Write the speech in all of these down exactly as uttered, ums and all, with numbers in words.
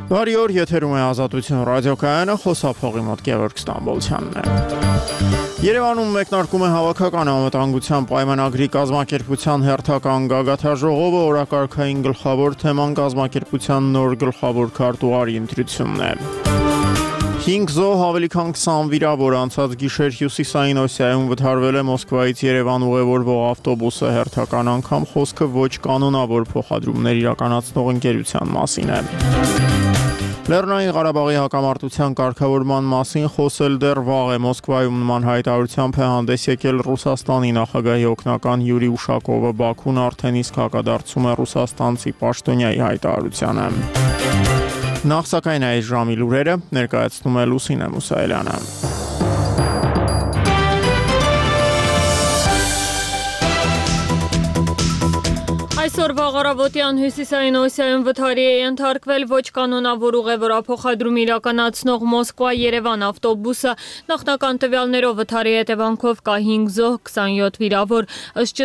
Բարի օր, եթերում է Ազատություն ռադիոկայանը, խոսափողի մոտ Գևորգ Ստամբոլցյանն է։ Երևանում մեկնարկում է հավաքական անվտանգության պայմանագրի կազմակերպության հերթական գագաթաժողովը, օրակարգային գլխավոր թեման կազմակերպության նոր գլխավոր քարտուղարի ընտրությունն է։ հինգ զոհ, ավելի քան քսան վիրավոր, անցած գիշեր Հյուսիսային Օսիայում վթարվել է Մոսկվայից Երևան ուղևորվող ավտոբուսը, հերթական անգամ խոսքը ոչ կանոնավոր փոխադրումներ իրականացնող ընկերության մասին է։ Լեռնային Ղարաբաղի հակամարտության կարգավորման մասին խոսել դեռ վաղ է։ Մոսկվայում նման հայտարարությամբ է հանդես եկել Ռուսաստանի նախագահի օգնական Յուրի Ուշակովը, Բաքուն արդեն իսկ հակադարձում է ռուսաստանցի պաշտոնյայի հայտարարությանը։ Նախ սակայն այս ժամի լուրերը ներկայացնում է Լուսինե Մուսայելյանը։ Այսօր վաղարավոտյան Հյուսիսային Օսիայում վթարի է ենթարկվել ոչ կանոնավոր ուղևորափոխադրում իրականացնող Մոսկվա-Երևան ավտոբուսը, նախնական տվյալներով վթարի հետևանքով կա հինգ զոհ, քսանյոթ վիրավոր, ըստ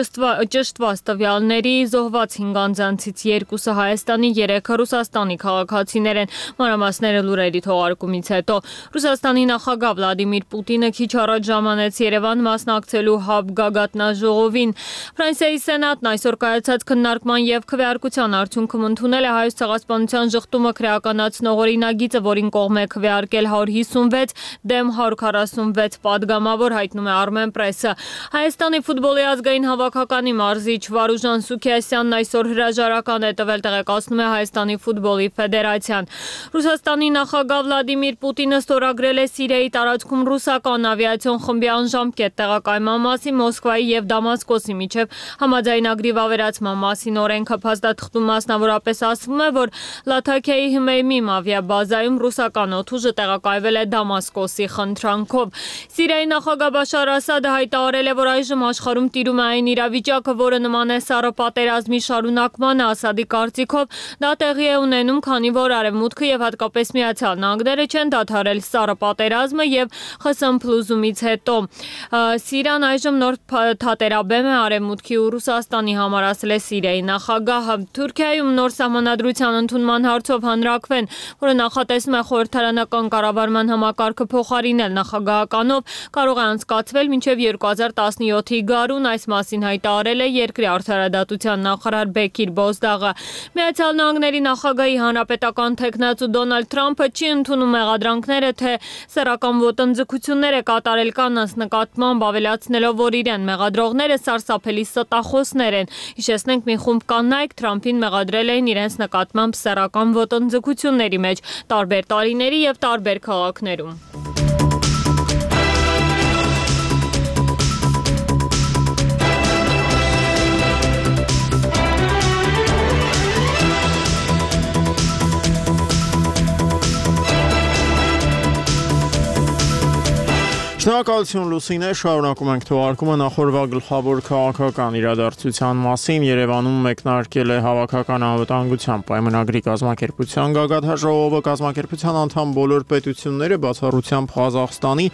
ճշտված տվյալների զոհված հինգ անձանցից երկուսը Հայաստանի, երեքը Ռուսաստանի քաղաքացիներ են, մանրամասները լուրերի թողարկումից հետո։ Ռուսաստանի նախագահ Վլադիմիր Պուտինը քիչ առաջ ժամանեց Երևան մասնակցելու ՀԱԲ գագաթնաժողովին։ Ֆրանսիայի սենատն այսօր կայացած քննարկման և քվեարկության արդյունքում ընդունել է Հայոց ցեղասպանության ժխտումը քրեականացնող օրինագիծը, որին կողմ է քվեարկել հարյուր հիսունվեց դեմ հարյուր քառասունվեց պատգամավոր, հայտնում է Armenpress-ը։ Հայաստանի ֆուտբոլի ազգային հավաքականի մարզիչ Վարուժան Սուքիասյանն այսօր հրաժարական է տվել, տեղեկացնում է Հայաստանի ֆուտբոլի ֆեդերացիան։ Ռուսաստանի նախագահ Վլադիմիր Պուտինը ստորագրել է Սիրիայի տարածքում ռուսական ավիացիոն խմբի անժամկետ տեղակայման մասին Մոսկվայի և Դամասկոսի միջև համաձայնագրի վավերացման մասին օրենքը փաստաթղթում մասնավորապես ասվում է, որ Լաթաքիայի Հմեյմիմ ավիաբազայում ռուսական օդուժը տեղակայվել է Դամասկոսի խնդրանքով։ Սիրիայի նախագահ Բաշար Ասադը հայտարարել է, որ այժմ աշխարհում տիրում է այն իրավիճակը, որը նման է սառը պատերազմի շարունակմանը։ Ասադի կարծիքով դա տեղի է ունենում, քանի որ Արևմուտքը եւ հատկապես Միացյալ Նահանգները չեն դադարել սառը պատերազմը եւ խսմփլուզումից հետո։ Սիրիան այժմ նոր թատերաբեմ է Արևմուտքի ու Ռուսաստանի համար, ասել է Սիրիայի նախագահը։ Թուրքիայում նոր սահմանադրության ընդունման հարցով հանրաքվեն, որը նախատեսում է խորհրդարանական կառավարման համակարգը փոխարինել նախագահականով, կարող է անցկացվել մինչև երկու հազար տասնյոթի գարուն, այս մասին հայտարարել է երկրի արդարադատության նախարար Բեկիր Բոզդաղը։ Միացյալ Նահանգների նախագահի հանրապետական թեկնածու Դոնալդ Թրամփը չի ընդունում մեղադրանքները, թե սեռական ոտնձգություններ է կատարել կանանց նկատմամբ, ավելացնելով, որ իրեն մեղադրողները սարսափելի ստախոսներ են։ Հիշեցնենք, մի խումբ կանայք Թրամփին մեղադրել էին իրենց նկատմամբ սեռական ոտնձգությունների մեջ տարբեր տարիների և տարբեր քաղաքներում։ Շնորհակալություն Լուսինե, շարունակում ենք թողարկումը նախորդ գլխավոր քաղաքական իրադարձության մասին։ Երևանում մեկնարկել է հավաքական անվտանգության պայմանագրի կազմակերպության գագաթաժողովը, կազմակերպության անդամ բոլոր պետությունները, բացառությամբ Ղազախստանի,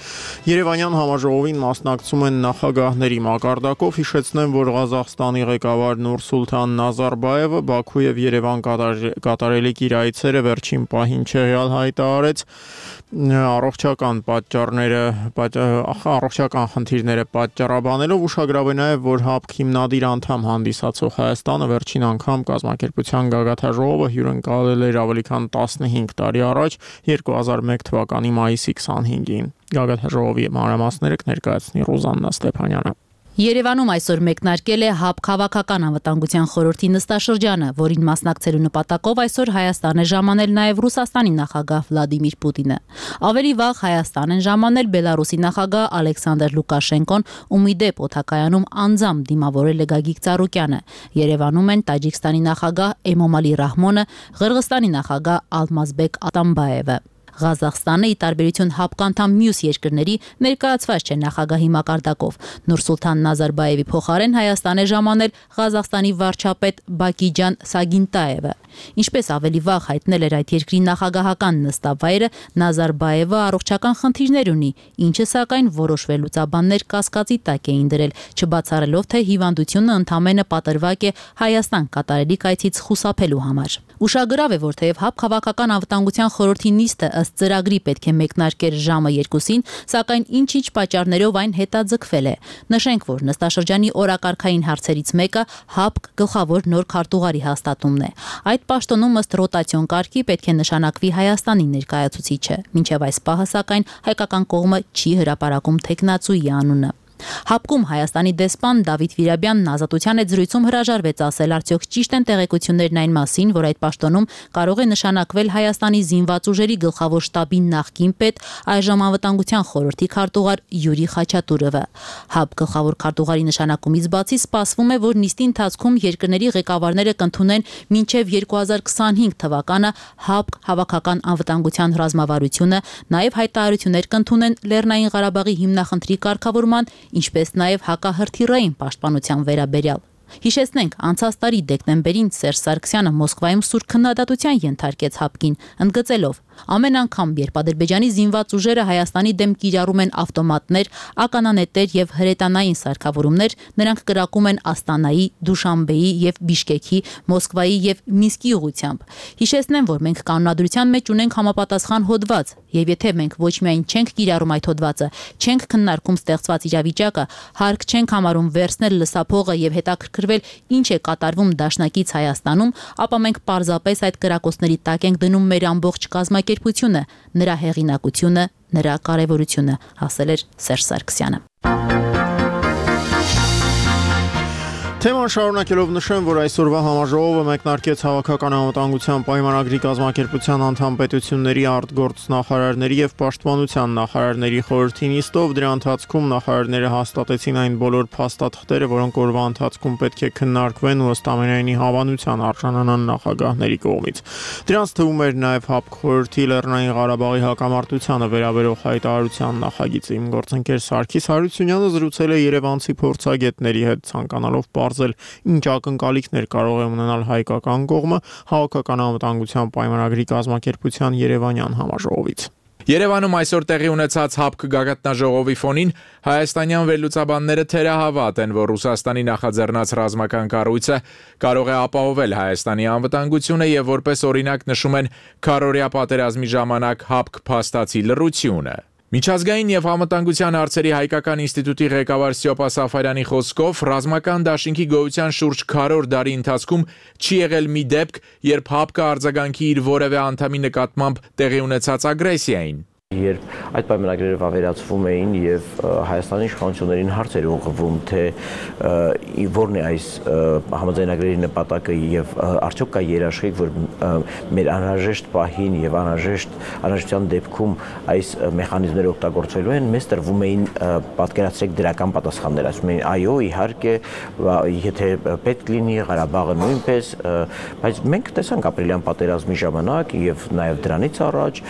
Երևանյան համաժողովին մասնակցում են նախագահների մակարդակով։ Հիշեցնեմ, որ Ղազախստանի ղեկավար Նուրսուլթան Նազարբայևը Բաքու եւ Երևան կատարելիք իր այցերը վերջին պահին չեղյալ հայտարարեց առողջական պատճառները առողջական խնդիրները պատճառաբանելով, ուշագրավ է նաև, որ ՀԱԲ հիմնադիր անդամ հանդիսացող Հայաստանը վերջին անգամ կազմակերպության գագաթաժողովը հյուրընկալել էր ավելի քան տասնհինգ տարի առաջ, երկու հազար մեկ թվականի մայիսի քսանհինգին։ Գագաթաժողովի մանրամասները կներկայացնի Ռուզաննա Ստեփանյանը։ Երևանում այսօր մեկնարկել է ՀԱԲ քաղաքական անվտանգության խորհրդի նստաշրջանը, որին մասնակցելու նպատակով այսօր Հայաստան է ժամանել նաև Ռուսաստանի նախագահ Վլադիմիր Պուտինը։ Ավելի վաղ Հայաստան են ժամանել Բելարուսի նախագահ Ալեքսանդր Լուկաշենկոն, ում ի դեպ օդակայանում անձամբ դիմավորել է Գագիկ Ծառուկյանը։ Երևանում են Տաջիկստանի նախագահ Էմոմալի Ռահմոնը, Ղրղստանի նախագահ Ալմազբեկ Ատամբաևը։ Ղազախստանը, ի տարբերություն ՀԱԲ անդամ մյուս երկրների, ներկայացված չէ նախագահի մակարդակով։ Նուրսուլթան Նազարբայևի փոխարեն Հայաստան է ժամանել Ղազախստանի վարչապետ Բակիջան Սագինտաևը։ Ինչպես ավելի վաղ հայտնել էր այդ երկրի նախագահական նստավայրը, Նազարբայևը առողջական խնդիրներ ունի, ինչը սակայն որոշ վերլուծաբաններ կասկածի տակ էին դրել, չբացառելով, թե հիվանդությունը ընդամենը պատրվակ է Հայաստան կատարելիք այցից խուսափելու համար։ Ուշագրավ է, որ թեև ՀԱՊԿ Հավաքական անվտանգության խորհրդի նիստը ըստ ծրագրի պետք է մեկնարկեր ժամը երկուսին, սակայն ինչ-ինչ պատճառներով այն հետաձգվել է։ Նշենք, որ նստաշրջանի օրակարգային հարցերից մեկը ՀԱՊԿ գլխավոր նոր քարտուղարի հաստատումն է։ Այդ պաշտոնում ըստ ռոտացիոն կարգի պետք է նշանակվի Հայաստանի ներկայացուցիչը։ Մինչև այս պահը սակայն հայկական կողմը չի հրապարակում թեկնածուի անունը։ ՀԱՊԿ-ում Հայաստանի դեսպան Դավիթ Վիրաբյանն Ազատության հետ զրույցում հրաժարվեց ասել, արդյոք ճիշտ են տեղեկություններն այն մասին, որ այդ պաշտոնում կարող է նշանակվել Հայաստանի զինված ուժերի գլխավոր շտաբի նախկին պետ, այժմ անվտանգության խորհրդի քարտուղար Յուրի Խաչատուրովը։ ՀԱՊԿ գլխավոր քարտուղարի նշանակումից բացի սպասվում է, որ նիստի ընթացքում երկրների ղեկավարները կընդունեն մինչև երկու հազար քսանհինգ թվականը ՀԱՊԿ Հավաքական անվտանգության ռազմավարությունը, նաև հայտարարություններ կընդունեն Լեռնային Ղարաբաղի հիմնախնդրի կարգավորման, ինչպես նաև հակահրթիռային պաշտպանության վերաբերյալ։ Հիշեցնենք, անցած տարի դեկտեմբերին Սերժ Սարգսյանը Մոսկվայում սուր քննադատության ենթարկեց ՀԱՊԿ-ին, ընդգծելով. ամեն անգամ, երբ Ադրբեջանի զինված ուժերը Հայաստանի դեմ կիրառում են ավտոմատներ, ականանետեր եւ հրետանային սարքավորումներ, նրանք կրակում են Աստանայի, Դուշանբեի եւ Բիշկեքի, Մոսկվայի եւ Մինսկի ուղղությամբ։ Հիշեցնեմ, որ մենք կանոնադրության մեջ ունենք համապատասխան հոդված, եւ եթե մենք ոչ միայն չենք կիրառում այդ հոդվածը, չենք քննարկում ստեղծված իրավիճակը, հարկ չենք համարում վերցնել լսափողը եւ հետաքրքրվել ինչ է կատարվում դաշնակից Հայաստանում, ապա մենք պարզապես այդ կրակոցների տակ ենք դնում մեր ամբողջ կազմակերպությունը, նրա հեղինակությունը, նրա կարևորությունը, ասել էր Սերժ Սարգսյանը։ Թեման շարունակելով նշեմ, որ այսօրվա համաժողովը մեկնարկեց Հավաքական անվտանգության պայմանագրի կազմակերպության անդամ պետությունների արտգործնախարարների եւ պաշտպանության նախարարների խորհրդի նիստով, դրա ընթացքում նախարարները հաստատեցին այն բոլոր փաստաթղթերը, որոնք օրվա ընթացքում պետք է քննարկվեն ու ըստ ամենայնի հավանության արժանանան նախագահների կողմից։ Դրանց թվում էր նաեւ ՀԱՊԿ խորհրդի Լեռնային Ղարաբաղի հակամարտությանը վերաբերող հայտարարության նախագիծը։ Իմ գործընկեր Սարգիս Հարությունյանը զրուցել է երևանցի փորձագետների հետ, ցանկանալով պարզել ինչ ակնկալիքներ կարող է ունենալ հայկական կողմը Հավաքական անվտանգության պայմանագրի կազմակերպության Երևանյան համաժողովից։ Երևանում այսօր տեղի ունեցած ՀԱՊԿ գագաթնաժողովի ֆոնին հայաստանյան վերլուծաբանները թերահավատ են, որ Ռուսաստանի նախաձեռնած ռազմական կառույցը կարող է ապահովել Հայաստանի անվտանգությունը եւ որպես օրինակ նշում են քառօրյա պատերազմի ժամանակ ՀԱՊԿ փաստացի լռությունը։ Միջազգային եւ անվտանգության հարցերի հայկական ինստիտուտի ղեկավար Սյոպա Սաֆարյանի խոսքով ռազմական դաշինքի գոյության շուրջ քառորդ դարի ընթացքում չի եղել մի դեպք, երբ ՀԱՊԿ-ը արձագանքի իր որևէ անդամի նկատմամբ տեղի ունեցած ագրեսիային։ Երբ այդ պայմանագրերը վավերացվում էին եւ Հայաստանի իշխանություններին հարց էր ուղղվում, թե որն է այս համաձայնագրերի նպատակը եւ արդյոք կա երաշխիք, որ մեր անհրաժեշտ պահին եւ անհրաժեշտ անհրաժեշտության դեպքում այս մեխանիզմները օգտագործվելու են, մեզ տրվում էին պատկերացրեք դրական պատասխաններ, ասում էին այո, իհարկե, եթե պետք լինի, Ղարաբաղը նույնպես, բայց մենք տեսանք ապրիլյան պատերազմի ժամանակ եւ նաեւ դրանից առաջ,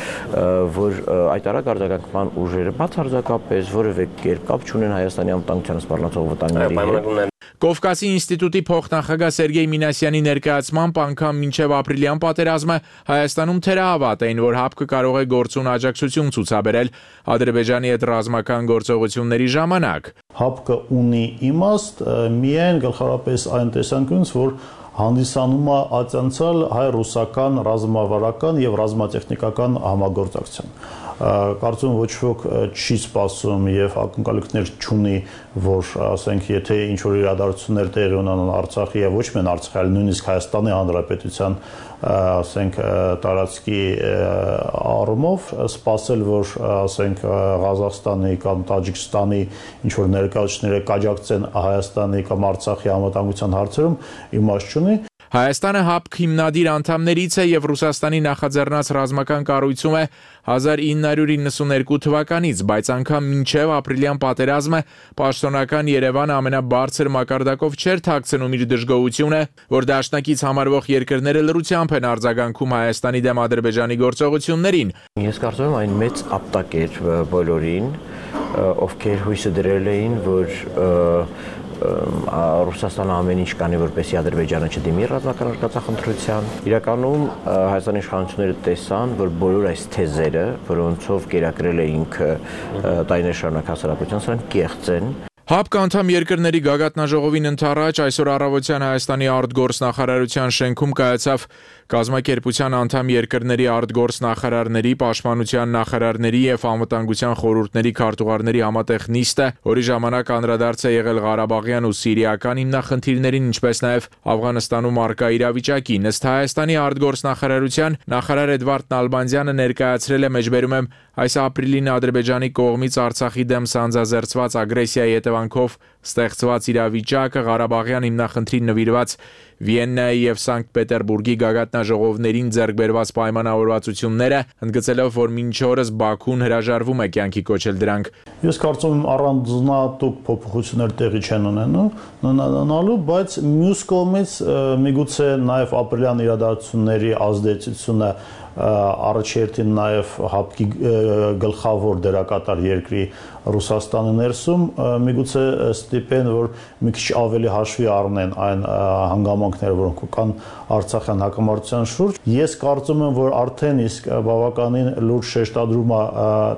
որ այդ արագ արձագանքման ուժերը բացարձակապես որևէ կերպ կապ չունեն Հայաստանի անվտանգությանը սպառնացող վտանգների հետ։ Կովկասի ինստիտուտի փոխնախագահ Սերգեյ Մինասյանի ներկայացմամբ անգամ մինչև ապրիլյան պատերազմը Հայաստանում թերահավատ էին, որ ՀԱՊԿ-ը կարող է գործուն աջակցություն ցուցաբերել Ադրբեջանի հետ ռազմական գործողությունների ժամանակ։ ՀԱՊԿ-ը ունի իմաստ միայն գլխավորապես այն տեսանկյունից, որ հանդիսանում է ացանցալ հայ-ռուսական ռազմավարական եւ ռազմատեխնիկական համագործակցություն։ Կարծում ոչ ոք չի սպասում եւ ակնկալիքներ չունի, որ ասենք եթե ինչ որ իրադարձություններ տեղի ունենան Արցախի եւ ոչ միայն Արցախի, այլ նույնիսկ Հայաստանի Հանրապետության ասենք տարածքի առումով սպասել, որ ասենք Ղազախստանի կամ Տաջիկստանի ինչ որ ներկայացուցիչները կաջակցեն Հայաստանի կամ Արցախի անվտանգության հարցերում իմաստ չունի։ Հայաստանը ՀԱՊԿ հիմնադիր անդամներից է եւ Ռուսաստանի նախաձեռնած ռազմական կառույցում է հազար ինը հարյուր իննսունհինգ թվականից, բայց անգամ մինչև ապրիլյան պատերազմը պաշտոնական Երևանը ամենաբարձր մակարդակով չէր թաքցնում իր դժգոհությունը, որ դաշնակից համարվող երկրները լռությամբ են արձագանքում Հայաստանի դեմ Ադրբեջանի գործողություններին։ Ես կարծում եմ այն մեծ ապտակ էր բոլորին, ովքեր հույսը դրել էին, որ Ռուսաստանը ամեն ինչ կանի, որպեսզի Ադրբեջանը չդիմի ռազմական արկածախնդրության։ Իրականում Հայաստանի իշխանությունները տեսան, որ բոլոր այս թեզերը, որոնցով կերակրել է ինքը տարիներ շարունակ հասարակության, սրանք կեղծ են։ ՀԱՊԿ անդամ երկրների գագաթնաժողովին ընդառաջ այսօր առավոտյան Հայաստանի արտգործնախարարության շենքում կայացավ կազմակերպության անդամ երկրների արտգործնախարարների, պաշտպանության նախարարների եւ անվտանգության խորհուրդների քարտուղարների համատեղ նիստը, որի ժամանակ անդրադարձ է եղել Ղարաբաղյան ու սիրիական հիմնախնդիրներին, ինչպես նաեւ Աֆղանստանում առկա իրավիճակին։ Ըստ Հայաստանի արտգործնախարարության նախարար Էդվարդ Նալբանդյանը ներկայացրել է մեջբերում եմ այս ապրիլին Ադրբեջանի կողմից Արցախի դեմ սանձազերծված ագրեսիայի հետևանքով ստեղծված իրավիճակը, Ղարաբաղյան հիմնախնդրին նվիրված Վիեննայի եւ Սանկտ Պետերբուրգի գագաթնաժողովներին ձեռք բերված պայմանավորվածությունները, ընդգծելով, որ մինչ օրս Բաքուն հրաժարվում է կյանքի կոչել դրանք։ Ես կարծում եմ առանձնատուկ փոփոխություններ տեղի չեն ունենալու, բայց մյուս կողմից միգուցե նաեւ ապրիլյան իրադարձությունների ազդեցությունը առաջերտին նաև ՀԱՊԿ-ի գլխավոր դերակատար երկրի Ռուսաստանի ներսում միգուցե ստիպեն, որ մի քիչ ավելի հաշվի առնեն այն հանգամանքները, որոնք կան Արցախյան հակամարտության շուրջ։ Ես կարծում եմ, որ արդեն իսկ բավականին լուրջ շեշտադրում է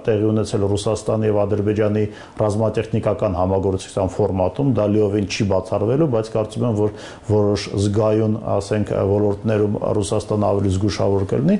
տեղի ունեցել Ռուսաստանի եւ Ադրբեջանի ռազմատեխնիկական համագործակցության ֆորմատում, դա լիովին չի բացառվելու, բայց կարծում եմ, որ որոշ զգայուն, ասենք, ոլորտներում Ռուսաստանը ավելի զգուշավոր կլինի։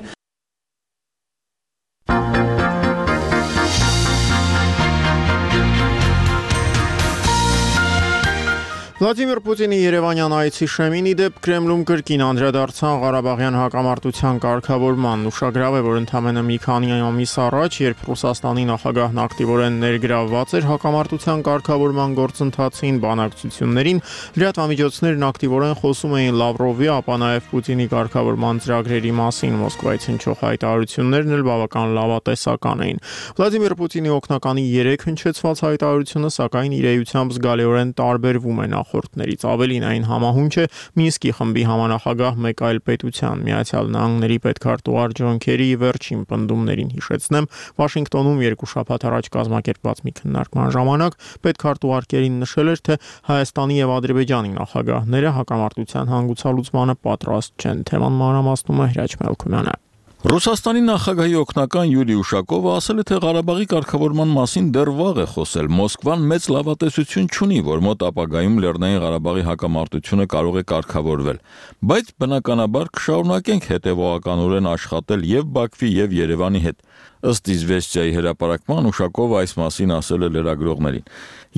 Վլադիմիր Պուտինի Երևանյան այցի շեմին ի դեպ Կրեմլում կրկին անդրադարձան Ղարաբաղյան հակամարտության կարգավորման։ Ուշագրավ է, որ ընդամենը մի քանի ամիս առաջ, երբ Ռուսաստանի նախագահն ակտիվորեն ներգրավված էր հակամարտության կարգավորման գործընթացին, բանակցություններին, լրատվամիջոցներն ակտիվորեն խոսում էին Լավրովի, ապա նաև Պուտինի կարգավորման ծրագրերի մասին։ Մոսկվայից հնչող հայտարարություններն էլ բավական լավատեսական էին։ Վլադիմիր Պուտինի օգնականի երեք հնչեցված հայտարարությունը, սակայն իր էությամբ զգալիորեն տարբերվում է նախորդներից։ Ավելին, այն համահունչ է Մինսկի խմբի համանախագահ մեկ այլ պետության, Միացյալ Նահանգների պետքարտուղար Ջոն Քերիի վերջին պնդումներին։ Հիշեցնեմ, Վաշինգտոնում երկու շաբաթ առաջ կազմակերպված մի քննարկման ժամանակ պետքարտուղար Քերին նշել էր, թե Հայաստանի եւ Ադրբեջանի նախագահները հակամարտության հանգուցալուծմանը պատրաստ չեն։ Թեման մանրամասնում է Հրաչ Մելքումյանը։ Ռուսաստանի նախագահի օգնական Յուրի Ուշակովը ասել է, թե Ղարաբաղի կարգավորման մասին դեռ վաղ է խոսել։ Մոսկվան մեծ լավատեսություն չունի, որ մոտ ապագայում Լեռնային Ղարաբաղի հակամարտությունը կարող է կարգավորվել, բայց բնականաբար կշարունակենք հետևողականորեն աշխատել եւ Բաքվի եւ Երևանի հետ։ Ըստ Իզվեստիայի հրապարակման Ուշակովը այս մասին ասել է լրագրողներին։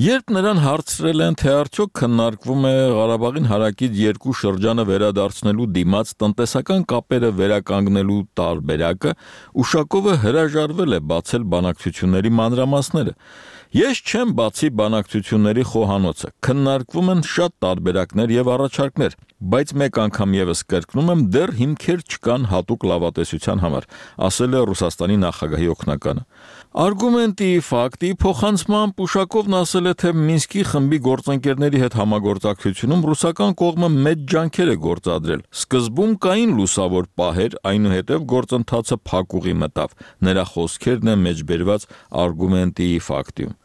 Երբ նրան հարցրել են, թե արդյոք քննարկվում է Ղարաբաղին հարակից երկու շրջանը վերադարձնելու դիմաց տնտեսական կապերը վերականգնելու տարբերակը, Ուշակովը հրաժարվել է բացել բանակցությունների մանրամասները։ Ես չեմ բացի բանակցությունների խոհանոցը, քննարկվում են շատ տարբերակներ եւ առաջարկներ, բայց մեկ անգամ եւս կրկնում եմ, դեռ հիմքեր չկան հատուկ լավատեսության համար, ասել է Ռուսաստանի նախագահի օգնականը։ Արգումենտի, ֆակտի փոխանցմամբ Ուշակովն ասել է, թե Մինսկի խմբի գործընկերների հետ համագործակցությունում ռուսական կողմը մեծ ջանքեր է գործադրել։ Սկզբում կային լուսավոր պահեր, այնուհետև գործընթացը փակուղի մտավ։ Նրա խոսքերն են մեջբերված Արգումենտի ֆակտիում։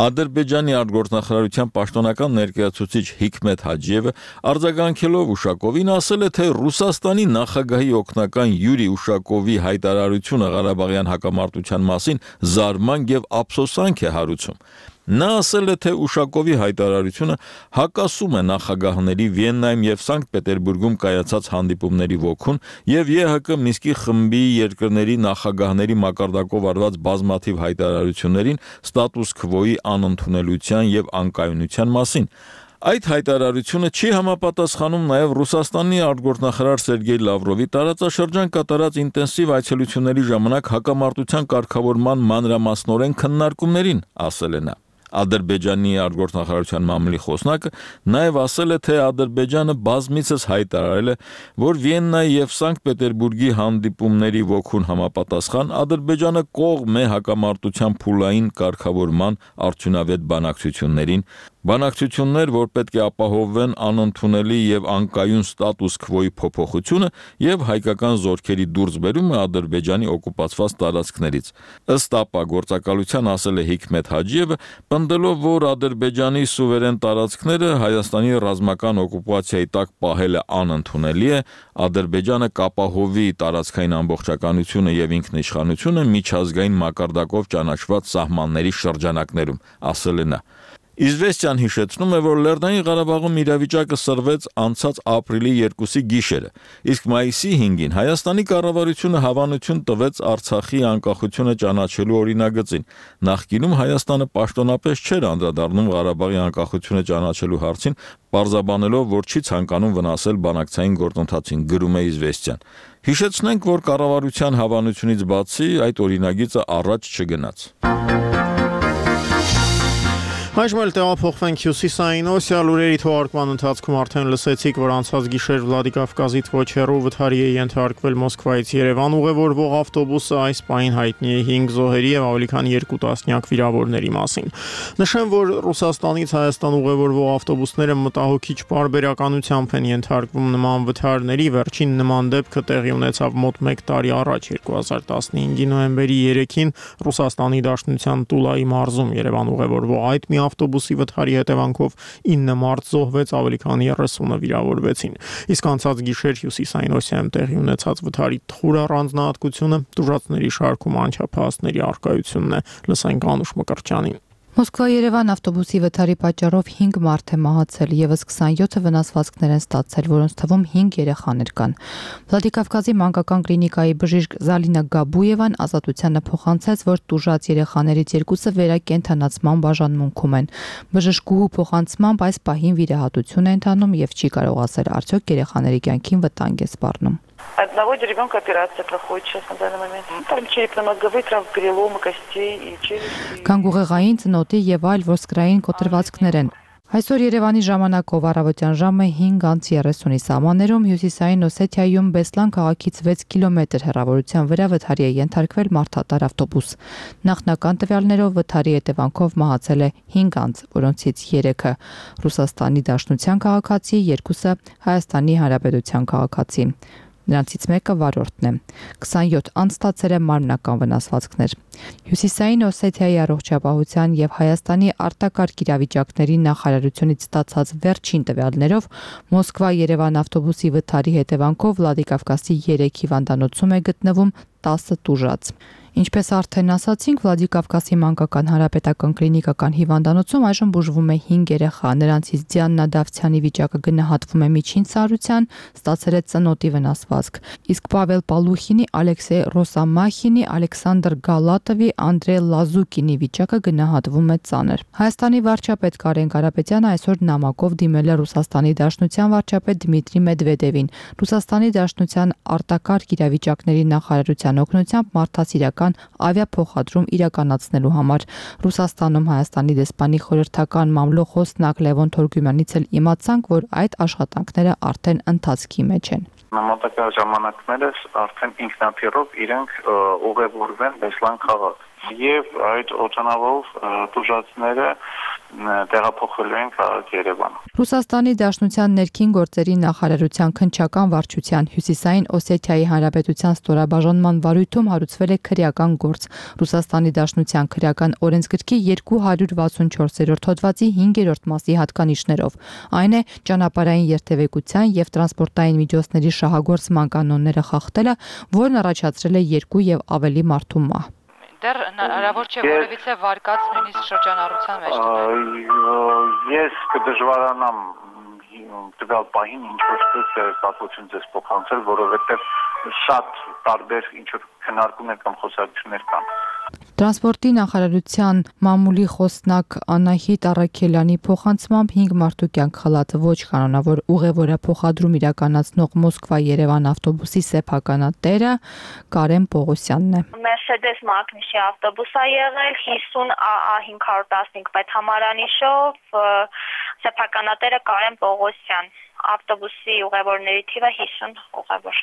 Ադրբեջանի արտգործնախարարության պաշտոնական ներկայացուցիչ Հիկմետ Հաջիևը արձագանքելով Ուշակովին ասել է, թե Ռուսաստանի նախագահի օգնական Յուրի Ուշակովի հայտարարությունը Ղարաբաղյան հակամարտության մասին զարմանք եւ ափսոսանք է հարուցում։ Նա ասել է, թե Ուշակովի հայտարարությունը հակասում է նախագահների Վիեննայում եւ Սանկտ Պետերբուրգում կայացած հանդիպումների ոգուն եւ ԵՀԿ Մինսկի խմբի երկրների նախագահների մակարդակով արված բազմաթիվ հայտարարություններին ստատուս քվոյի անընդունելության եւ անկայունության մասին։ Այդ հայտարարությունը չի համապատասխանում նաև Ռուսաստանի արտգործնախարար Սերգեյ Լավրովի տարածաշրջան կատարած ինտենսիվ այցելությունների ժամանակ հակամարտության կարգավորման մանրամասնորեն քննարկումներին, ասել է նա։ Ադրբեջանի արտգործնախարարության մամուլի խոսնակը նաև ասել է, թե Ադրբեջանը բազմիցս հայտարարել է, որ Վիեննայի եւ Սանկտ Պետերբուրգի հանդիպումների ոգուն համապատասխան Ադրբեջանը կողմ է հակամարտության փուլային կարգավորման արդյունավետ բանակցություններին, Բանակցություններ, որ պետք է ապահովեն անընդունելի եւ անկայուն ստատուս քվոյի փոփոխությունը եւ հայկական զորքերի դուրսբերումը Ադրբեջանի օկուպացված տարածքներից։ Ըստ ԱՊԱ գործակալության ասել է Հիկմետ Հաջիևը, պնդելով, որ Ադրբեջանի սուվերեն տարածքները Հայաստանի ռազմական օկուպացիայի տակ պահելը անընդունելի է, Ադրբեջանը կապահովի տարածքային ամբողջականությունը եւ ինքնիշխանությունը միջազգային մակարդակով ճանաչված սահմանների շրջանակներում, ասել է նա։ Իզվեստիան հիշեցնում է, որ Լեռնային Ղարաբաղում իրավիճակը սրվեց անցած ապրիլի երկուսի գիշերը, իսկ մայիսի հինգին Հայաստանի կառավարությունը հավանություն տվեց Արցախի անկախությունը ճանաչելու օրինագծին։ Նախկինում Հայաստանը պաշտոնապես չէր անդրադառնում Ղարաբաղի անկախությունը ճանաչելու հարցին, պարզաբանելով, որ չի ցանկանում վնասել բանակցային գործընթացին, գրում է Իզվեստիան։ Հիշեցնենք, որ կառավարության հավանությունից բացի այդ օրինագիծը առաջ չգնաց։ Այժմ էլ տեղափոխվենք Հյուսիսային Օսիա, լուրերի թողարկման ընթացքում արդեն լսեցիք, որ անցած գիշեր Վլադիկավկազից ոչ հեռու վթարի է ենթարկվել Մոսկվայից Երևան ուղևորվող ավտոբուսը, այս պահին հայտնի է հինգ զոհերի եւ ավելի քան երկու տասնյակ վիրավորների մասին։ Նշեմ, որ Ռուսաստանից Հայաստան ուղևորվող ավտոբուսները մտահոգիչ պարբերականությամբ են ենթարկվում նման վթարների, վերջին նման դեպքը տեղի ունեցավ մոտ մեկ տարի առաջ, երկու հազար տասնհինգի նոյեմբերի երեքին Ռուսաստանի Դաշնության Տուլայի մարզում Երևան ուղևորվող այդ մի ավտոբուսի վթարի հետևանքով ինը մարդ զոհվեց, ավելի քան երեսունը վիրավորվեցին։ Իսկ անցած գիշեր Հյուսիսային Օսիայում տեղի ունեցած վթարի թույլ առանձնահատկությունը տուժածների շարքում անչափահասների առկայությունն է։ Լսենք Անուշ Մկրտչյանին։ Մոսկվա-Երևան ավտոբուսի վթարի պատճառով հինգ մարդ է մահացել, եւս քսանյոթը վնասվածքներ են ստացել, որոնց թվում հինգ երեխաներ կան։ Վլադիկավկազի մանկական կլինիկայի բժիշկ Զալինա Գաբուևան ազատությանը փոխանցեց, որ տուժած երեխաներից երկուսը վերակենդանացման բաժանմունքում են։ Բժշկուհու փոխանցմամբ այս պահին վիրահատություն է ընթանում եւ չի կարող ասել արդյոք երեխաների կյանքին վտանգ է սպառնում։ Одного ребенка операция проходит сейчас на данный момент. Там черепно-мозговые травмы, переломы костей и челюсти. Գանգուղեղային, ծնոտի եւ այլ ոսկրային կոտրվածքներ են։ Այսօր Երևանի ժամանակով առավոտյան ժամը հինգ անց երեսունի սահմաններում Հյուսիսային Օսեթիայում Բեսլան քաղաքից վեց կիլոմետր հեռավորության վրա վթարի է ենթարկվել մարդատար ավտոբուս։ Նախնական տվյալներով վթարի հետևանքով մահացել է հինգ անձ, որոնցից երեքը Ռուսաստանի Դաշնության քաղաքացի, երկուսը Հայաստանի Հանրապետության քաղաքացի։ Նրանցից մեկը վարորդն է։ քսանյոթ անց ստացել է մարմնական վնասվածքներ։ Հյուսիսային Օսեթիայի առողջապահության եւ Հայաստանի արտակարգ իրավիճակների նախարարությունից ստացած վերջին տվյալներով Մոսկվա-Երևան ավտոբուսի վթարի հետևանքով Վլադիկավկազի երեք հիվանդանոցում է գտնվում տասը տուժած։ Ինչպես արդեն ասացինք, Վլադիկավկազի մանկական հանրապետական կլինիկական հիվանդանոցում այժմ բուժվում է հինգ երեխա, նրանցից Դիանա Դավթյանի վիճակը գնահատվում է միջին ծառայության, ստացել է ծնոտի վնասվածք, իսկ Պավել Պալուխինի, Ալեքսեյ Ռոսամախինի, Ալեքսանդր Գալատովի, Անդրեյ Լազուկինի վիճակը գնահատվում է ծանր։ Հայաստանի վարչապետ Կարեն Կարապետյանը այսօր նամակով դիմել է Ռուսաստանի Դաշնության վարչապետ Դմիտրի Մեդվեդևին։ Ռուսաստանի Դաշնության արտակարգ իրավիճակների նախարարության օգնությամբ մարդասիրական ավիափոխադրում իրականացնելու համար Ռուսաստանում Հայաստանի դեսպանի խորհրդական մամլո խոսնակ Լևոն Թորգումյանից էլ իմացանք, որ այդ աշխատանքները արդեն ընթացքի մեջ են։ Նամակա ժամանակներս արդեն ինքնաթիռով իրենք ուղևորվեն Բեսլան քաղաք եւ այդ օճանավով տուժածները տեղափոխվելու են քաղաք Երևան։ Ռուսաստանի Դաշնության ներքին գործերի նախարարության քննչական վարչության Հյուսիսային Օսեթիայի Հանրապետության ստորաբաժանման վարույթում հարուցվել է քրեական գործ։ Ռուսաստանի Դաշնության քրեական օրենսգրքի երկու հարյուր վաթսունչորսերորդ հոդվածի հինգերորդ մասի հատկանիշներով։ Այն է ճանապարհային երթևեկության եւ տրանսպորտային միջոցների շահագործման կանոնները խախտելը, որն առաջացրել է երկու եւ ավելի մարդու մահ։ Դեռ հնարավոր չէ որևիցե վարկած նույնիսկ շրջանառության մեջ դնել։ Ես կդժվարանամ տվյալ պահին ինչ-որ կապություն ձեզ փոխանցել, որովհետև շատ տարբեր ինչ-որ քննարկումներ կամ խոսակցություններ կան։ Տրանսպորտի նախարարության մամուլի խոսնակ Անահիտ Առաքելյանի փոխանցմամբ հինգ մարդու կյանք խլած ոչ կանոնավոր ուղևորափոխադրում իրականացնող Մոսկվա-Երևան ավտոբուսի սեփականատերը Կարեն Պողոսյանն է։ Mercedes Magnus-ի ավտոբուս է եղել հիսուն A A հինգ հարյուր տասնհինգ պետհամարանիշով, սեփականատերը Կարեն Պողոսյան։ ավտոբուսի ուղևորների թիվը հիսուն ուղևոր։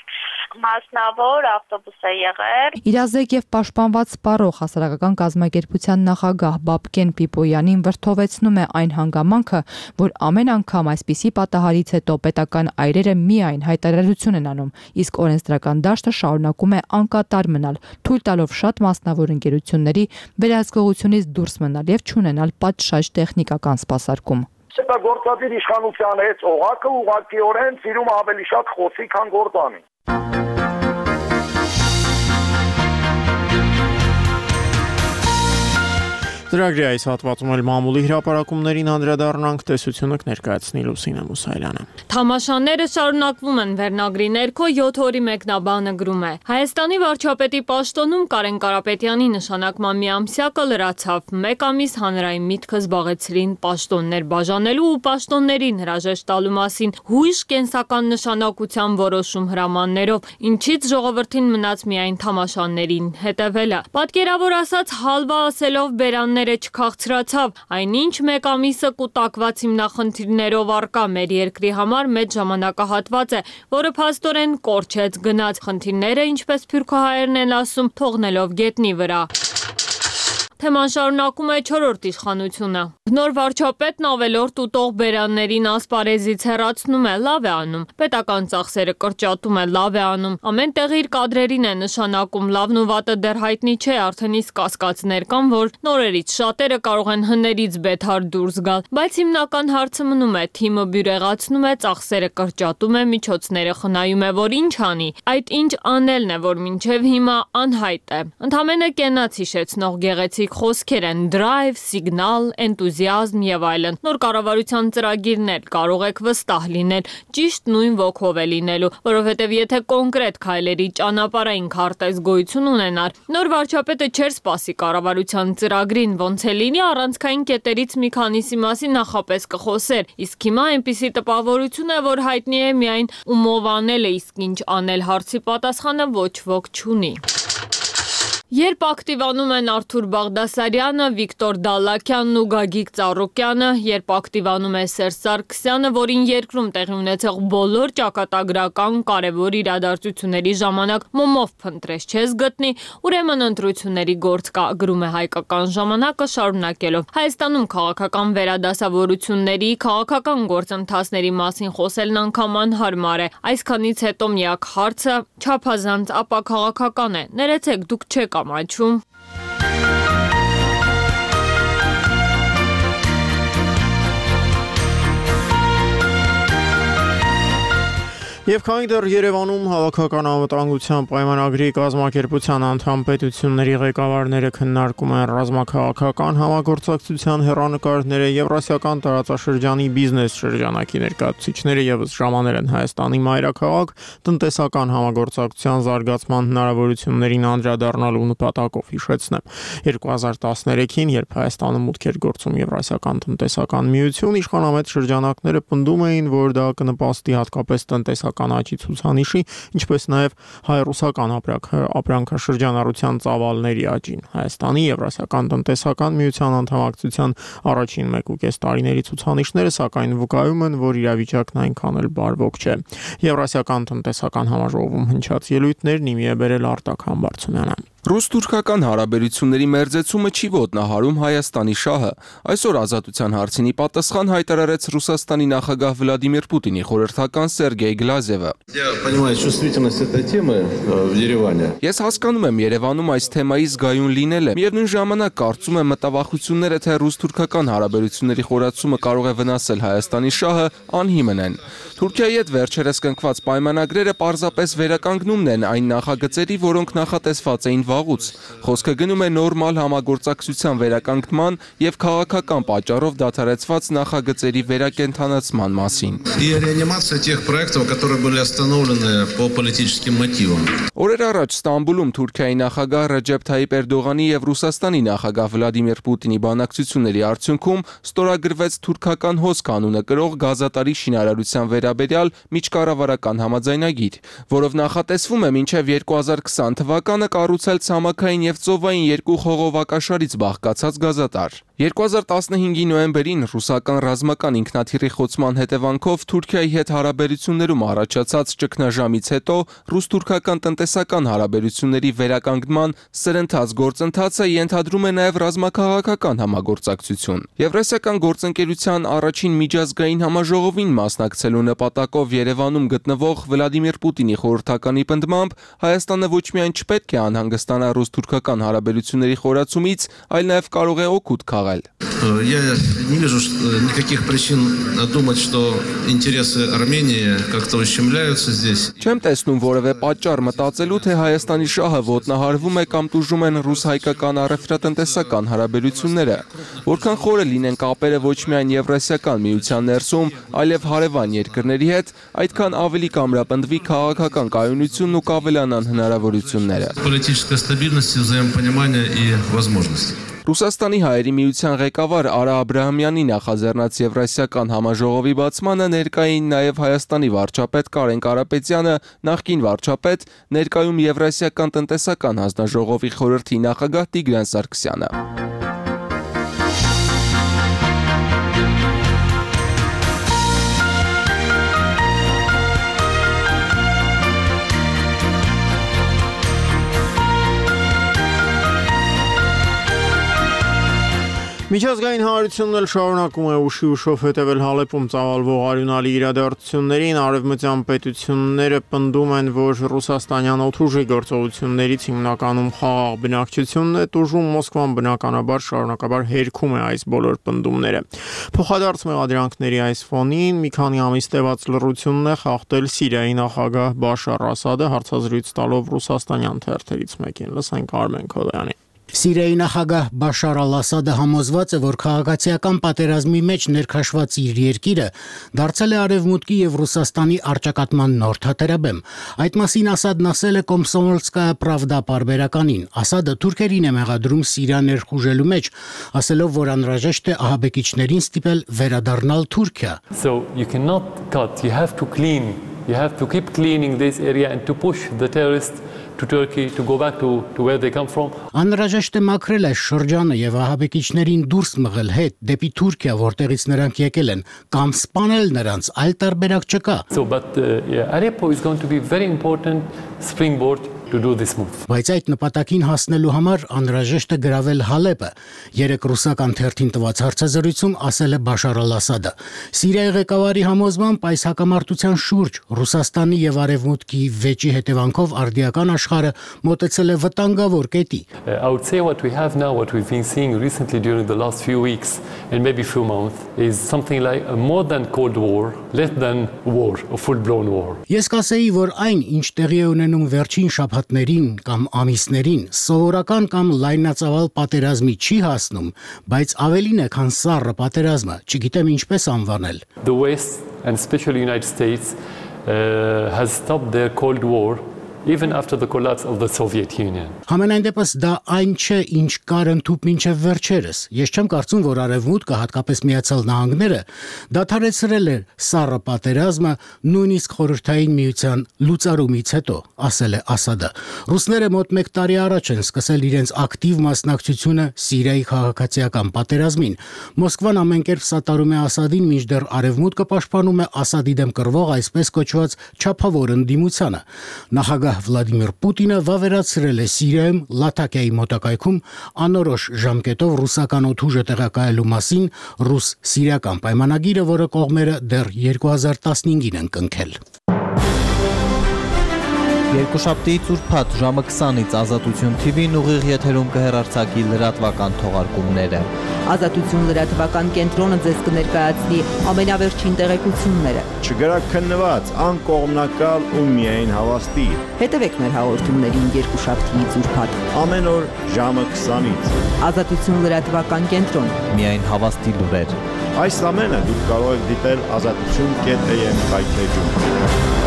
Մասնավոր ավտոբուս է եղել։ Իրազեկ եւ պաշտպանված սպառող հասարակական կազմակերպության նախագահ Բաբկեն Պիպոյանին վրթովեցնում է այն հանգամանքը, որ ամեն անգամ այսպիսի պատահարից հետո պետական այրերը միայն հայտարարություն են անում, իսկ օրենսդրական դաշտը շարունակում է անկատար մնալ, թույլ տալով շատ մասնավոր ընկերությունների վերահսկողությունից դուրս մնալ եւ չունենալ պատշաճ տեխնիկական սպասարկում։ Գործադիր իշխանության հետ օղակը ուղղակիորեն ծիրում ավելի շատ խոսի, քան գործանի։ Ծրագրի այս հատվածում էլ մամուլի հրապարակումներին անդրադառնանք, տեսությունը կներկայացնի Լուսինե Մուսայելյանը։ Թամաշանները շարունակվում են վերնագրի ներքո յոթ օրի մեկնաբանը գրում է. Հայաստանի վարչապետի պաշտոնում Կարեն Կարապետյանի նշանակման միամսյակը լրացավ։ Մեկ ամիս հանրային միտքը զբաղեցրին պաշտոններ բաժանելու ու պաշտոններին հրաժեշտ տալու մասին հույժ կենսական նշանակության որոշում հրամաններով, ինչից ժողովրդին մնաց միայն թամաշաններին հետևելը։ Պատկերավոր ասած, հալվա ասելով բերաններ չքաղցրացավ, այնինչ մեկ ամիսը կուտակված հիմնախնդիրներով առկա մեր երկրի համար մեծ ժամանակահատված է, որը փաստորեն կորչեց գնաց խնդիրները, ինչպես սփյուռքահայերն են ասում, թողնելով գետնի վրա։ Թեման շարունակում է չորրորդ իշխանությունը։ Նոր վարչապետն ավելորդ ուտող բերաններին ասպարեզից հեռացնում է, լավ է անում։ Պետական ծախսերը կրճատում է, լավ է անում։ Ամեն տեղ իր կադրերին է նշանակում, լավն ու վատը դեռ հայտնի չէ, արդեն իսկ կասկածներ կան, որ նորերից շատերը կարող են հներից բեթար դուրս գալ, բայց հիմնական հարցը մնում է, թիմը բյուրեղացնում է, ծախսերը կրճատում է, միջոցները խնայում է, որ ինչ անի։ Այդ ինչ անելն է, որ մինչև հիմա անհայտ է։ Ընդամենը կենաց հիշեցնող գեղեցիկ խոսքեր են՝ դրայվ, սիգնալ, էնտուզիազմ եւ այլն։ Նոր կառավարության ծրագիրն էլ կարող եք վստահ լինել, ճիշտ նույն ոգով է լինելու, որովհետեւ եթե կոնկրետ քայլերի ճանապարհային քարտեզ գոյություն ունենար, նոր վարչապետը չէր սպասի կառավարության ծրագրին, ոնց է լինի առանցքային կետերից մի քանիսի մասին նախապես կխոսեր, իսկ հիմա այնպիսի տպավորություն է, որ հայտնի է միայն ումով անել է, իսկ ինչ անել հարցի պատասխանը ոչ ոք չունի։ Երբ ակտիվանում են Արթուր Բաղդասարյանը, Վիկտոր Դալլաքյանն ու Գագիկ Ծառուկյանը, երբ ակտիվանում է Սերժ Սարգսյանը, որին երկրում տեղի ունեցող բոլոր ճակատագրական կարևոր իրադարձությունների ժամանակ մոմով փնտրես չես գտնի, ուրեմն ընտրությունների գործ կա, գրում է Հայկական ժամանակը շարունակելով։ Հայաստանում քաղաքական վերադասավորությունների, քաղաքական գործընթացների մասին խոսելն անգամ անհարմար է։ Այսքանից հետո միակ հարցը չափազանց ապաքաղաքական է։ Ներեցեք, դուք չեք ամաչում։ Եվ քանի դեռ Երևանում հավաքական անվտանգության պայմանագրի կազմակերպության անդամ պետությունների ղեկավարները քննարկում են ռազմաքաղաքական համագործակցության հեռանկարները, Եվրասիական տարածաշրջանի բիզնես շրջանակի ներկայացուցիչները ևս ժամանել են Հայաստանի մայրաքաղաք տնտեսական համագործակցության զարգացման հնարավորություններին անդրադառնալու նպատակով, հիշեցնեմ։ երկու հազար տասներեքին, երբ Հայաստանը մուտք էր գործում Եվրասիական տնտեսական միություն, իշխանամետ շրջանակները պնդում էին, որ դա կնպաստի հատկապես տնտեսական աճի ցուցանիշի, ինչպես նաև հայ-ռուսական ապրանքաշրջանառության ծավալների աճին։ Հայաստանի Եվրասիական տնտեսական միության անդամակցության առաջին մեկ ու կես տարիների ցուցանիշները սակայն վկայում են, որ իրավիճակն այնքան էլ բարվոք չէ։ Եվրասիական տնտեսական համաժողովում հնչած ելույթներն իմի է բերել Արտակ Համբարձումյանը։ Ռուս-թուրքական հարաբերությունների մերձեցումը չի ոտնահարում Հայաստանի շահը։ Այսօր ազատության հարցինի պատասխան հայտարարեց Ռուսաստանի նախագահ Վլադիմիր Պուտինի խորհրդական Սերգեյ Գլազևը։ Ես հասկանում եմ Երևանում այս թեմայի զգայուն լինելը։ Միևնույն ժամանակ կարծում եմ մտավախությունները, թե ռուս-թուրքական հարաբերությունների խորացումը կարող է վնասել Հայաստանի շահը, անհիմն են։ Թուրքիայի հետ վերջերս կնքված պայմանագրերը պարզապես վերականգնումն են այն նախագծերի, որոնք նախատեսված էին վաղուց։ Խոսքը գնում է նորմալ համագործակցության վերականգնման եւ քաղաքական պատճառով դադարեցված նախագծերի վերակենդանացման մասին։ Օրեր առաջ Ստամբուլում Թուրքիայի նախագահ Ռեջեփ Թայիպ Էրդողանի եւ Ռուսաստանի նախագահ Վլադիմիր Պուտինի բանակցությունների արդյունքում ստորագրվեց թուրքական հոսք անունը կրող գազատարի շինարարության վերաբերյալ միջկառավարական համաձայնագիր, որով նախատեսվում է մինչև երկու հազար քսան թվականը կառուցել ցամաքային եւ ծովային երկու խողովակաշարից բաղկացած գազատար։ երկու հազար տասնհինգի նոյեմբերին ռուսական ռազմական ինքնաթիռի խոցման հետևանքով Թուրքիայի հետ հարաբերություններում առաջացած ճգնաժամից հետո ռուս-թուրքական տնտեսական հարաբերությունների վերականգնման սրընթաց գործընթացը ենթադրում է նաև ռազմաքաղաքական համագործակցություն։ Եվրասիական գործընկերության առաջին միջազգային համաժողովին մասնակցելու նպատակով Երևանում գտնվող Վլադիմիր Պուտինի խորհրդականի պնդմամբ Հայաստանը ոչ միայն չպետք է անհանգստանա ռուս-թուրքական հարաբերությունների խորացումից, այլ նաև կարող է օգուտ քաղել։ Я не вижу никаких причин думать, что интересы Армении как-то ущемляются здесь. Չեմ տեսնում որևէ պատճառ մտածելու, թե Հայաստանի շահը ոտնահարվում է կամ տուժում են ռուս-հայկական առևտրատնտեսական հարաբերությունները։ Որքան խորը լինեն կապերը ոչ միայն Եվրասիական միության ներսում, այլև հարևան երկրների հետ, այդքան ավելի կամրապնդվի քաղաքական կայունությունն ու կավելանան հնարավորությունները։ Политическая стабильность, взаимопонимание и возможности. Ռուսաստանի հայերի միության ղեկավար Արա Աբրահամյանի նախաձեռնած Եվրասիական համաժողովի բացմանը ներկային նաև Հայաստանի վարչապետ Կարեն Կարապետյանը, նախկին վարչապետ, ներկայում Եվրասիական տնտեսական հանձնաժողովի խորհրդի նախագահ Տիգրան Սարգսյանը։ Միջազգային հանրությունն էլ շարունակում է ուշի ուշով հետևել Հալեպում ծավալվող արյունալի իրադարձություններին, արևմտյան պետությունները պնդում են, որ ռուսաստանյան օդուժի գործողություններից հիմնականում խաղաղ բնակչությունն է տուժում, Մոսկվան բնականաբար շարունակաբար հերքում է այս բոլոր պնդումները։ Փոխադարձ մեղադրանքների այս ֆոնին մի քանի ամիս տևած լռությունն է խախտել Սիրիայի նախագահ Բաշար Ասադը, հարցազրույց տալով ռուսաստանյան թերթերից մեկին։ Լսենք Արմեն Քոդայանի։ Սիրիայի նախագահ Բաշար al-Ասադը համոզված է, որ քաղաքացիական պատերազմի մեջ ներքաշված իր երկիրը դարձել է Արևմուտքի եւ Ռուսաստանի առճակատման նոր թատերաբեմ։ Այդ մասին Ասադն ասել է Կոմսոմոլսկայա Պրավդա պարբերականին։ Ասադը թուրքերին է մեղադրում Սիրիա ներխուժելու մեջ, ասելով, որ անհրաժեշտ է ահաբեկիչներին ստիպել վերադառնալ Թուրքիա։ So you cannot cut, you have to clean, you have to keep cleaning this area and to push the terrorists to Turkey to go back to, to where they come from. Անհրաժեշտ է մաքրել այս շրջանը եւ ահաբեկիչներին դուրս մղել հետ դեպի Թուրքիա, որտեղից նրանք եկել են, կամ սպանել նրանց, այլ տարբերակ չկա։ So but uh, yeah, Aleppo is going to be very important springboard to do this move. Բայց այդ նպատակին հասնելու համար անհրաժեշտ է գրավել Հալեպը։ Երեք ռուսական թերթին տված հարցազրույցում ասել է Բաշար al-Ասադը։ Սիրիայի ղեկավարի համոզմամբ այս հակամարտության շուրջ Ռուսաստանի եւ Արևմուտքի վեճի հետևանքով արդիական աշխարհը մոտեցել է վտանգավոր կետի։ I would say what we have now, what we've been seeing recently during the last few weeks and maybe few months is something like a more than Cold War, less than war, a full-blown war. Ես կասեի, որ այն, ինչ տեղի է ունենում վերջին շաբաթներին կամ ամիսներին, սովորական կամ լայնածավալ պատերազմի չի հասնում, բայց ավելին է, քան սառը պատերազմը, չգիտեմ ինչպես անվանել։ The West and especially United States uh, has stopped their Cold War even after the collapse of the Soviet Union. Համենայն դեպս դա այն չէ, ինչ կար ընդհուպ մինչև վերջերս։ Ես չեմ կարծում, որ Արևմուտքը, հատկապես Միացյալ Նահանգները, դադարեցրել էր սառը պատերազմը նույնիսկ խորհրդային միության լուծարումից հետո, ասել է Ասադը։ Ռուսները մոտ մեկ տարի առաջ են սկսել իրենց ակտիվ մասնակցությունը Սիրիայի քաղաքացիական պատերազմին։ Մոսկվան ամեն կերպ սատարում է Ասադին, մինչդեռ Արևմուտքը պաշտպանում է Ասադի դեմ կրվող այսպես կոչված չափավոր ընդդիմությանը։ Նախագահ Վլադիմիր Պուտինը վավերացրել է Սիրիայում Լաթակիայի մոտակայքում անորոշ ժամկետով ռուսական օդուժը տեղակայելու մասին ռուս-սիրիական պայմանագիրը, որը կողմերը դեռ երկու հազար տասնհինգին են կնքել։ Երկուշաբթի ծուրփաթ ժամը քսանից Ազատություն թի վին ուղիղ եթերում կհեռարձակի լրատվական թողարկումները։ Ազատություն լրատվական կենտրոնը ձեզ կներկայացնի ամենավերջին տեղեկությունները։ Չգրաքննված, անկողմնակալ ու միայն հավաստի։ Հետևեք մեր հաղորդումներին երկուշաբթի ծուրփաթ ամեն օր ժամը քսանից։ Ազատություն լրատվական կենտրոն։ Միայն հավաստի լուրեր։ Այս ամենը դուք կարող եք դիտել ազատություն կետ է եմ հայթեջում։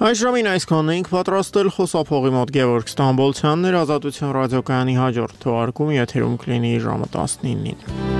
Այս ժամին այսքանն էինք պատրաստել, խոսափողի մոտ Գևորգ Ստամբոլցյանն էր, Ազատություն ռադիոկայանի հաջորդ թողարկումը եթերում կլինի ժամը տասնինին։